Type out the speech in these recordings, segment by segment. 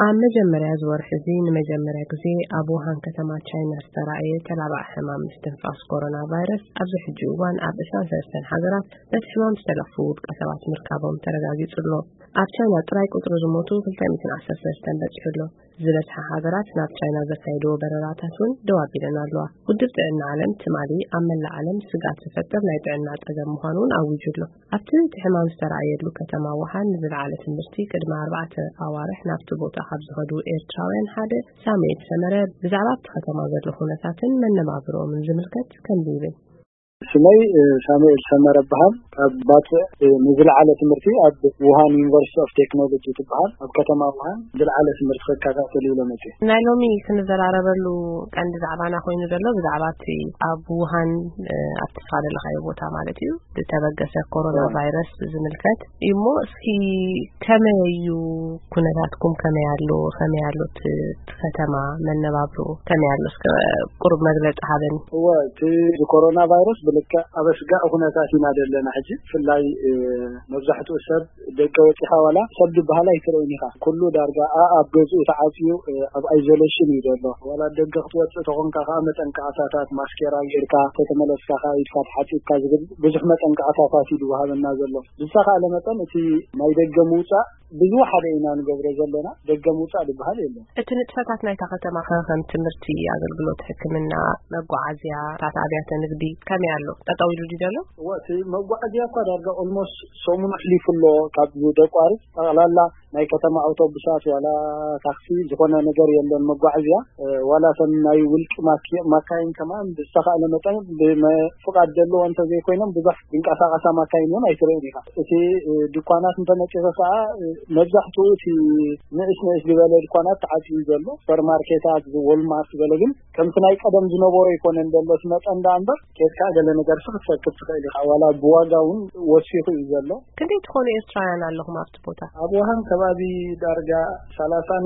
ኣብ መጀመርያ ዝወርሒ እዚ ንመጀመርያ ግዜ ኣብ ውሃን ከተማ ቻይና ዝተራእየ ተላባዕ ሕማም ምስትንፋስ ኮሮና ቫይረስ ኣብዚ ሕጂ እዋን ኣብ ዕስራን ሰለስተን ሃገራት በቲ ሕማም ዝተለኽፉ ውልቀ ሰባት ምርካቦም ተረጋጊጹ ኣሎ። ኣብ ቻይና ጥራይ ቁጽሪ ዝሞቱ ክልተ ሚእትን ዓሰርተ ሰለስተን በጺሑ ኣሎ። ዝበዝሓ ሃገራት ናብ ቻይና ዘካይድዎ በረራታት እውን ደው ኣቢለን ኣለዋ። ውድብ ጥዕና ዓለም ትማሊ ኣብ መላእ ዓለም ስግኣት ዝፈጥር ናይ ጥዕና ጸገም ምዃኑ እውን ኣዊጁ ኣሎ። ኣብቲ እቲ ሕማም ዝተራእየሉ ከተማ ውሃን ንዝለዓለ ትምህርቲ ቅድሚ ኣርባዕተ ኣዋርሕ ናብቲ ቦታ ካብ ዝኸዱ ኤርትራውያን ሓደ ሳሙኤል ሰመረ ብዛዕባ ኣብቲ ከተማ ዘሎ ኩነታትን መነባብሮኦምን ዝምልከት ከምዚ ይብል። ስመይ ሳሙኤል ሰመረ በሃል። ካብ ባጽዕ ንዝለዓለ ትምህርቲ ኣብ ውሃን ዩኒቨርሲቲ ኦፍ ቴክኖሎጂ ትበሃል ኣብ ከተማ ውሃን ዝለዓለ ትምህርቲ ክከታተል ኢለ መጽእ። ናይ ሎሚ ክንዘራረበሉ ቀንዲ ዛዕባና ኮይኑ ዘሎ ብዛዕባ እቲ ኣብ ውሃን ኣብቲ ስኻ ዘለኻዮ ቦታ ማለት እዩ ዝተበገሰ ኮሮና ቫይረስ ዝምልከት እዩ። እሞ እስኪ ከመይ እዩ ኩነታትኩም፣ ከመይ ኣሎ፣ ከመይ ኣሎ እቲ እቲ ከተማ መነባብሮ ከመይ ኣሎ? እስከ ቁሩብ መግለጺ ሃበኒ። እወ፣ እቲ ኮሮና ቫይረስ ብልክዕ ኣብ ኣስጋኢ ኩነታት ኢና ዘለና ሕጂ። ብፍላይ መብዛሕትኡ ሰብ ደገ ወጺኻ ዋላ ሰብ ዝበሃል ኣይትርእን ኢኻ። ኩሉ ዳርጋ ኣብ ገዝኡ ተዓጽዩ ኣብ ኣይዞሌሽን እዩ ዘሎ። ዋላ ደገ ክትወጽእ ተኾንካ ከዓ መጠንቀቕታታት፣ ማስኬራ ጌርካ፣ ተተመለስካ ከዓ ኢድካ ተሓጺብካ ዝብል ብዙሕ መጠንቀቕታታት እዩ ዝወሃበና ዘሎ። ብዝተኻእለ መጠን እቲ ናይ ደገ ምውጻእ ብዝወሓደ ኢና ንገብሮ ዘለና። ደገ ምውጻእ ዝበሃል የለን። እቲ ንጥፈታት ናይታ ከተማ ከ ከም ትምህርቲ፣ ኣገልግሎት ሕክምና፣ መጓዓዝያ፣ ታት ኣብያተ ንግዲ ከመይ ኣሎ? ጠጠው ኢሉ ድዩ ዘሎ? እወ፣ እቲ መጓዓዝያ እኳ ዳርጋ ኦልሞስት ሰሙን ኣሕሊፉ ኣሎ ካብ ዘቋርጽ። ጠቕላላ ናይ ከተማ ኣውቶቡሳት ዋላ ታክሲ ዝኾነ ነገር የለን መጓዓዝያ። ዋላ ተን ናይ ውልቂ ማካይን ከማን ብዝተኻእለ መጠን ብፍቓድ ዘለዎ እንተዘይኮይኖም ብዙሕ ዝንቀሳቐሳ ማካይን እውን ኣይትርእን ኢኻ። እቲ ድኳናት እንተመፂኻ ከዓ መብዛሕትኡ እቲ ንእስ ንእስ ዝበለ ድኳናት ተዓፅዩ ዘሎ፣ ሱፐርማርኬታት፣ ወልማርት ዝበለ ግን ከምቲ ናይ ቀደም ዝነበሮ ኣይኮነን ዘሎ እቲ መጠን ደኣ እምበር፣ ኬድካ ገለ ነገር ሲ ክትረክብ ትኽእል ኢኻ። ዋላ ብዋጋ እውን ወሲኹ እዩ ዘሎ። ክንደይ ትኾኑ ኤርትራውያን ኣለኹም ኣብቲ ቦታ? ኣብ ውሃን ከባቢ ዳርጋ ሰላሳን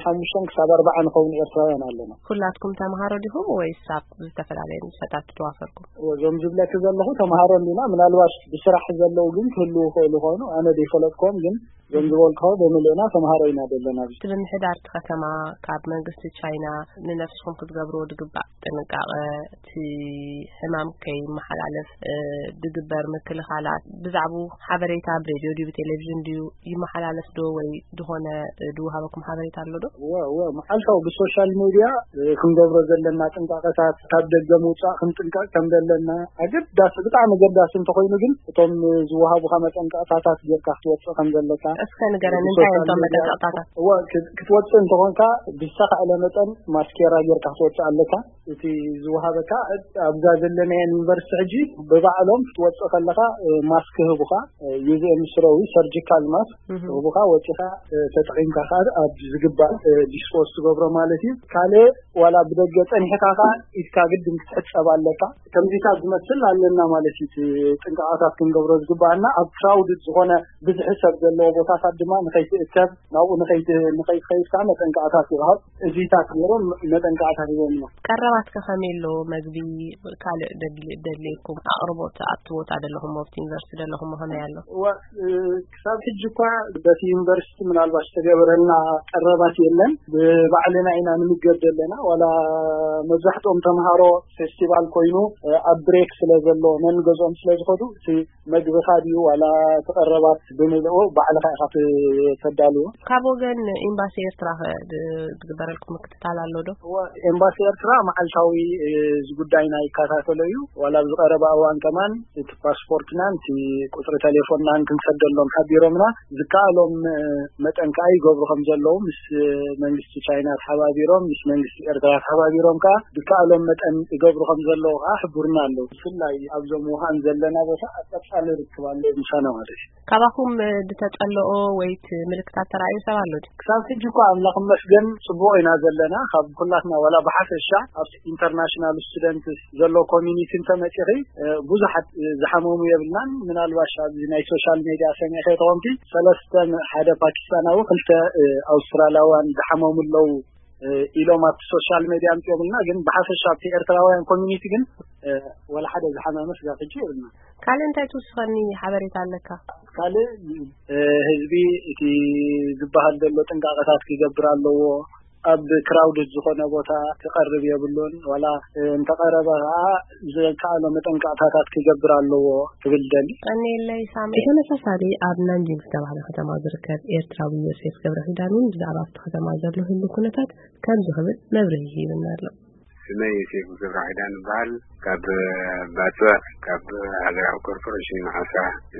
ሓሙሽተን ክሳብ ኣርባዓ ንኸውን ኤርትራውያን ኣለና። ኩላትኩም ተምሃሮ ዲኹም ወይስ ኣብ ዝተፈላለየ ንጥፈታት ትዋፈርኩም? እዞም ዝብለኪ ዘለኹ ተምሃሮ እንዲና፣ ምናልባት ብስራሕ ዘለዉ ግን ክህልዉ ይኽእሉ ይኾኑ፣ ኣነ ዘይፈለጥክዎም ግን እዞም ዝበልክዎ ብምልእና ተምሃሮ ኢና ዘለና። እቲ ምምሕዳር እቲ ከተማ ካብ መንግስቲ ቻይና ንነፍስኹም ክትገብርዎ ዝግባእ ጥንቃቐ፣ እቲ ሕማም ከይመሓላለፍ ዝግበር ምክልኻላት፣ ብዛዕባኡ ሓበሬታ ብሬድዮ ድዩ ብቴሌቪዥን ድዩ ይመሓላለፍ ዶ ወይ ዝኾነ ዝወሃበኩም ሓበሬታ ኣሎ ዶ? እወ፣ እወ፣ መዓልታዊ ብሶሻል ሜድያ ክንገብሮ ዘለና ጥንቃቐታት፣ ካብ ደገ ምውፃእ ክንጥንቀቕ ከም ዘለና ኣገዳሲ፣ ብጣዕሚ ኣገዳሲ እንተኾይኑ ግን እቶም ዝወሃቡኻ መጠንቀቕታታት ጌርካ ክትወፅእ ከም ዘለካ እስከ ንገረኒ፣ እንታይ እዮም እቶም መጠንቀቕታታት? እወ፣ ክት- ክትወፅእ እንተኾንካ ብዝተኻእለ መጠን ማስኬራ ጌርካ ክትወፅእ ኣለካ። እቲ ዝወሃበካ ኣብዛ ዘለናየን ዩኒቨርሲቲ ሕጂ ብባዕሎም ክትወፅእ ከለኻ ማስክ ህቡኻ፣ ዩዝኤም ስሮዊ ሰርጂካል ማስክ ህቡኻ ወፂኻ ተጠቒምካ ከዓ ኣብ ዝግባእ ዲስፖዝ ትገብሮ ማለት እዩ። ካልእ ዋላ ብደገ ጸኒሕካ ከኣ ኢድካ ግድን ክትሕጸብ ኣለካ። ከምዚታት ዝመስል ኣለና ማለት እዩ። እቲ ጥንቃቐታት ክንገብሮ ዝግባኣና ኣብ ክራውድድ ዝኾነ ብዝሒ ሰብ ዘለዎ ቦታታት ድማ ንኸይትእከብ፣ ናብኡ ንኸይት- ንኸይትኸይድ ከኣ መጠንቀቕታት ይወሃብ። እዚታት ገይሮም መጠንቀቕታት ይበልዎ። ቀረባትከ ከመይ ኣሎ? መግቢ፣ ካልእ ደድሊ- ደድልየኩም ኣቕርቦት ኣብቲ ቦታ ዘለኹም ኣብቲ ዩኒቨርሲቲ ዘለኹም ከመይ ኣሎ? እዋ፣ እ፣ ክሳብ ሕጂ እኳ በቲ ዩኒቨርሲቲ ምናልባት ዝተገበረልና ቀረባት የለን። ብባዕልና ኢና ንምገብ ዘለና። ዋላ መብዛሕትኦም ተምሃሮ ፌስቲቫል ኮይኑ፣ እ፣ ኣብ ብሬክ ስለ ዘሎ ነንገዝኦም ስለ ዝኸዱ እቲ መግብኻ ድዩ ዋላ እቲ ቀረባት ብምልኡ ባዕልኻ ኢኻ ት- ተዳልዎ። ካብ ወገን ኤምባሲ ኤርትራ ኸ ድ- ዝግበረልኩም ምክትታል ኣሎ ዶ? እወ፣ ኤምባሲ ኤርትራ መዓልታዊ፣ እ፣ እዚ ጉዳይና ይከታተሎ እዩ። ዋላ ኣብዚ ቀረባ እዋን ከማን እቲ ፓስፖርትናን እቲ ቁጽሪ ቴሌፎንናን ክንሰደሎም ሓቢሮምና፣ ዝከኣሎም፣ እ፣ መጠን ከኣ ይገብሩ ከም ዘለዉ ምስ፣ እ፣ መንግስቲ ቻይና ተሓባቢሮም፣ ምስ መንግስቲ ኤርትራ ተሓባቢሮም ከኣ ዝከኣሎም መጠን ይገብሩ ከም ዘለዉ ከኣ ሕቡርና ኣለዉ። ብፍላይ ኣብዞም ውሃን ዘለና ቦታ ኣብ ቀጻሊ ርክብ ኣሎ ምሳና ማለት እዩ። ካባኹም፣ እ፣ ዝተጸልኦ ወይ እቲ ምልክታት ተራእዮ ሰብ ኣሎ ድዩ? ክሳብ ሕጂ እኳ ኣምላኽ ይመስገን ጽቡቕ ኢና ዘለና። ካብ ኩላትና ዋላ ብሓፈሻ ኣብ ኢንተርናሽናል ስቱደንትስ ዘሎ ኮሚኒቲ እንተመጺኺ፣ እ፣ ብዙሓት፣ እ፣ ዝሓመሙ የብልናን። ምናልባሽ ኣብዚ ናይ ሶሻል ሜድያ ሰሚዕኺ ተኾንኪ፣ ሰለስተ ም- ሓደ ፓኪስታናዊ፣ ክልተ፣ እ፣ ኣውስትራልያውያን ዝሓመሙ ኣለዉ ኢሎም ኣብቲ ሶሻል ሜድያ ኣምፅኦምልና። ግን ብሓፈሻ ኣብቲ ኤርትራውያን ኮሚኒቲ ግን ወላ ሓደ ዝሓመመ ስጋብ ሕጂ የብልና። ካልእ እንታይ ትውስኸኒ ሓበሬታ ኣለካ? ካልእ ህዝቢ እቲ ዝበሃል ዘሎ ጥንቃቐታት ክገብር ኣለዎ። ኣብ ክራውድድ ዝኾነ ቦታ ክቐርብ የብሉን። ዋላ እንተቐረበ ከዓ ዘካኣሎ መጠንቀቕታታት ክገብር ኣለዎ ትብል ደሊ። ቀኒለይ ሳሚ። ብተመሳሳሊ ኣብ ናንጂንግ ዝተባህለ ከተማ ዝርከብ ኤርትራዊ ዮሴፍ ገብረ ኪዳን እውን ብዛዕባ ኣብቲ ከተማ ዘሎ ህሉ ኩነታት ከምዚ ክብል መብርሂ ሂብና ኣሎ። ስመይ ዮሴፍ ገብረ ኪዳን ይበሃል። ካብ ባጽዕ፣ ካብ ሃገራዊ ኮርፖሬሽን ዓሳ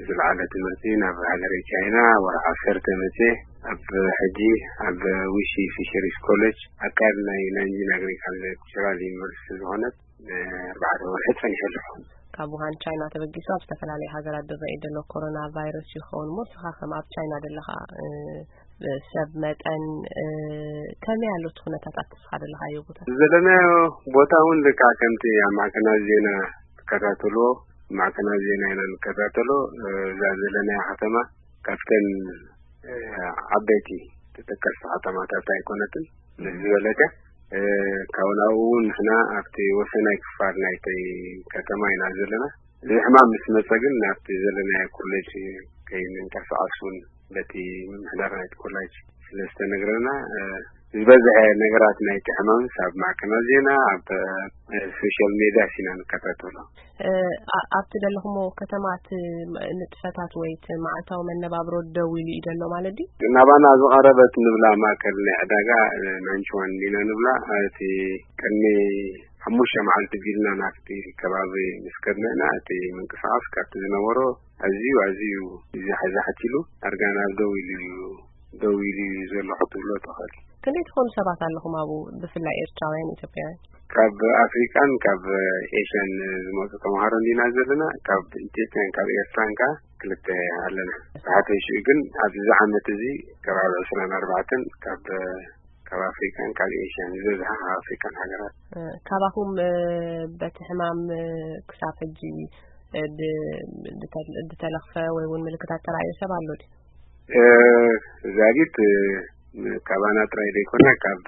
ዝለዓለ ትምህርቲ ናብ ሃገረ ቻይና ወርሒ ዓሰርተ መጽየ። ኣብ ሕጂ ኣብ ዊሺ ፊሸሪስ ኮሌጅ ኣካል ናይ ናንጂን ኣግሪካልቸራል ዩኒቨርሲቲ ዝኾነት ንኣርባዕተ ወርሒ ጸኒሐ ኣለኹ። ካብ ውሃን ቻይና ተበጊሱ ኣብ ዝተፈላለዩ ሃገራት ዝረኣይ ዘሎ ኮሮና ቫይረስ ይኸውን እሞ፣ ንስኻ ከም ኣብ ቻይና ዘለኻ ሰብ መጠን ከመይ ኣሎ እቲ ኩነታት ኣብቲ ዘለኻዮ ቦታ? ዘለናዮ ቦታ እውን ልክዕ ከምቲ ኣብ ማዕከናት ዜና ትከታተልዎ፣ ማዕከናት ዜና ኢና ንከታተሎ። እዛ ዘለናያ ከተማ ካብተን ዓበይቲ ተጠቀስቲ ከተማታት ኣይኮነትን። ምስ ዝበለጸ ካብኡ ናብኡ እውን ንሕና ኣብቲ ወሰናይ ክፋል ናይቲ ከተማ ኢና ዘለና። እዚ ሕማም ምስ መጸ ግን ናብቲ ዘለናዮ ኮሌጅ ከይንንቀሳቐስ እውን በቲ ምምሕዳር ናይቲ ኮሌጅ ስለ ዝተነግረና፣ ዝበዝሐ ነገራት ናይቲ ሕማምስ ኣብ ማዕከናት ዜና፣ ኣብ ሶሻል ሜድያ ሲና ንከታተሎ። ኣብቲ ዘለኹሞ ከተማ እቲ ንጥፈታት ወይ እቲ መዓልታዊ መነባብሮ ደው ኢሉ እዩ ዘሎ ማለት ድዩ? ናባና ዝቐረበት ንብላ ማእከል ናይ ዕዳጋ ናንችዋን ዲና ንብላ፣ እቲ ቅድሚ ሓሙሽተ መዓልቲ ቢልና ናብቲ ከባቢ ምስ ከድና ኢና፣ እቲ ምንቅስቓስ ካብቲ ዝነበሮ ኣዝዩ ኣዝዩ ዝሕዛሕት ኢሉ፣ ኣርጋና ደው ኢሉ እዩ፣ ደው ኢሉ እዩ ዘሎ ክትብሎ ትኽእል። ክንደይ ትኾኑ ሰባት ኣለኹም ኣብኡ፣ ብፍላይ ኤርትራውያን ኢትዮጵያውያን? ካብ ኣፍሪቃን ካብ ኤሽያን ዝመፁ ተምሃሮ እንዲና ዘለና። ካብ ኢትዮጵያን ካብ ኤርትራን ከዓ ክልተ ኣለና። ብሓፈሽኡ ግን ኣብዚ ዓመት እዚ ከባቢ ዕስራን ኣርባዕተን ካብ ካብ ኣፍሪካን ካብ ኤሽያን ዝበዝሓ ካብ ኣፍሪካን ሃገራት። ካባኹም በቲ ሕማም ክሳብ ሕጂ ዝተለኽፈ ወይ እውን ምልክታት ተራእዮ ሰብ ኣሎ ድዩ? ዛጊት ካባና ጥራይ ዘይኮነ ካብ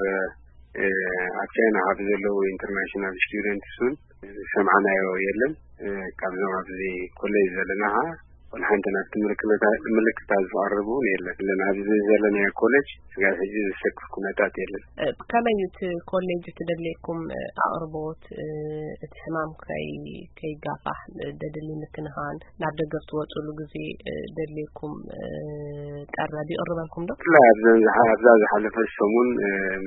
ኣብ ቻይና ካብ ዘለዉ ኢንተርናሽናል ስቱደንትስ እውን ዝሰምዓናዮ የለን። ካብዞም ኣብዚ ኮሌጅ ዘለና ከዓ ወላ ሓንቲ ናብቲ ምልክታት ዝቐርብ እውን የለን። ኣለና ኣብዚ ዘለናዮ ኮሌጅ ስጋብ ሕጂ ዘሰክፍ ኩነታት የለን። ከመይ እዩ እቲ ኮሌጅ እቲ ደድልየኩም ኣቕርቦት፣ እቲ ሕማም ከይጋፋሕ ደድሊ ምክንኻን ናብ ደገ ብትወፅሉ ግዜ ደድልየኩም ቀረብ ይቕርበልኩም ዶ? ብፍላይ ኣብዛ ዝሓለፈ ሰሙን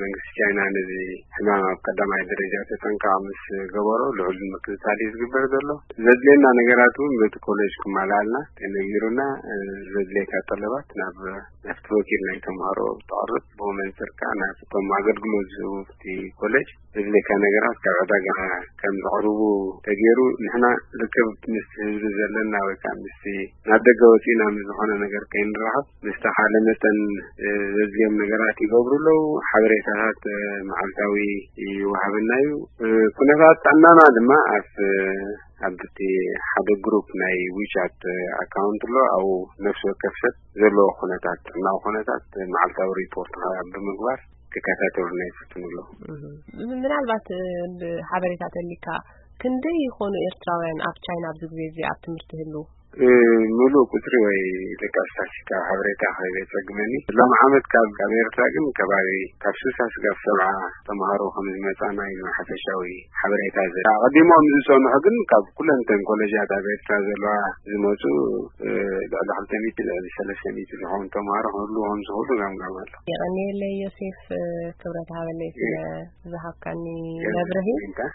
መንግስቲ ቻይና ነዚ ሕማም ኣብ ቀዳማይ ደረጃ ተጠንቃቕ ምስ ገበሮ ልዑል ምክትታል እዩ ዝግበር ዘሎ። ዘድልየና ነገራት እውን በቲ ኮሌጅ ክማልኣልና ተነጊሩና፣ ዘድልየካ ጠለባት ናብ ናብቲ ወኪል ናይ ተምሃሮ ተቕርብ፣ ብኡ መንፅር ከዓ ናብቶም ኣገልግሎት ዝህቡ እቲ ኮሌጅ ዘድልየካ ነገራት ካብ ዕዳጋ ከም ዘቕርቡ ተገይሩ፣ ንሕና ርክብ ምስ ህዝቢ ዘለና ወይ ከዓ ምስ ናብ ደገ ወፂና ምስ ዝኾነ ነገር ከይንራኸብ ብዝተኻለ መጠን ዘድልዮም ነገራት ይገብሩ ኣለዉ። ሓበሬታታት መዓልታዊ ይወሃበና እዩ። ኩነታት ጥዕናና ድማ ኣብ ኣብቲ ሓደ ግሩፕ ናይ ዊቻት ኣካውንት ኣሎ። ኣብኡ ነፍሲ ወከፍ ሰብ ዘለዎ ኩነታት ጥዕናዊ ኩነታት መዓልታዊ ሪፖርት ብምግባር ክከታተሉና ይፍትኑ ኣለዉ። ምናልባት ሓበሬታ ተሊካ ክንደይ ይኾኑ ኤርትራውያን ኣብ ቻይና ኣብዚ ግዜ እዚ ኣብ ትምህርቲ ህልው? ምሉእ ቁፅሪ ወይ ደቂ ስታስቲካ ሓበሬታ ከይዘፀግመኒ፣ ሎም ዓመት ካብ ካብ ኤርትራ ግን ከባቢ ካብ ስልሳ ስጋብ ሰብዓ ተምሃሮ ከም ዝመፃና እዩ ሓፈሻዊ ሓበሬታ ዘ ኣቐዲሞም ዝፀንሑ ግን ካብ ኩለንተን ኮሌጃት ኣብ ኤርትራ ዘለዋ ዝመፁ ልዕሊ ክልተ ሚእቲ ልዕሊ ሰለስተ ሚእቲ ዝኾኑ ተምሃሮ ክህሉ ከም ዝኽእሉ ገምጋም ኣሎ። የቐንየለይ ዮሴፍ ክብረት ሃበለይ ስለ ዝሃብካኒ መብርሂ።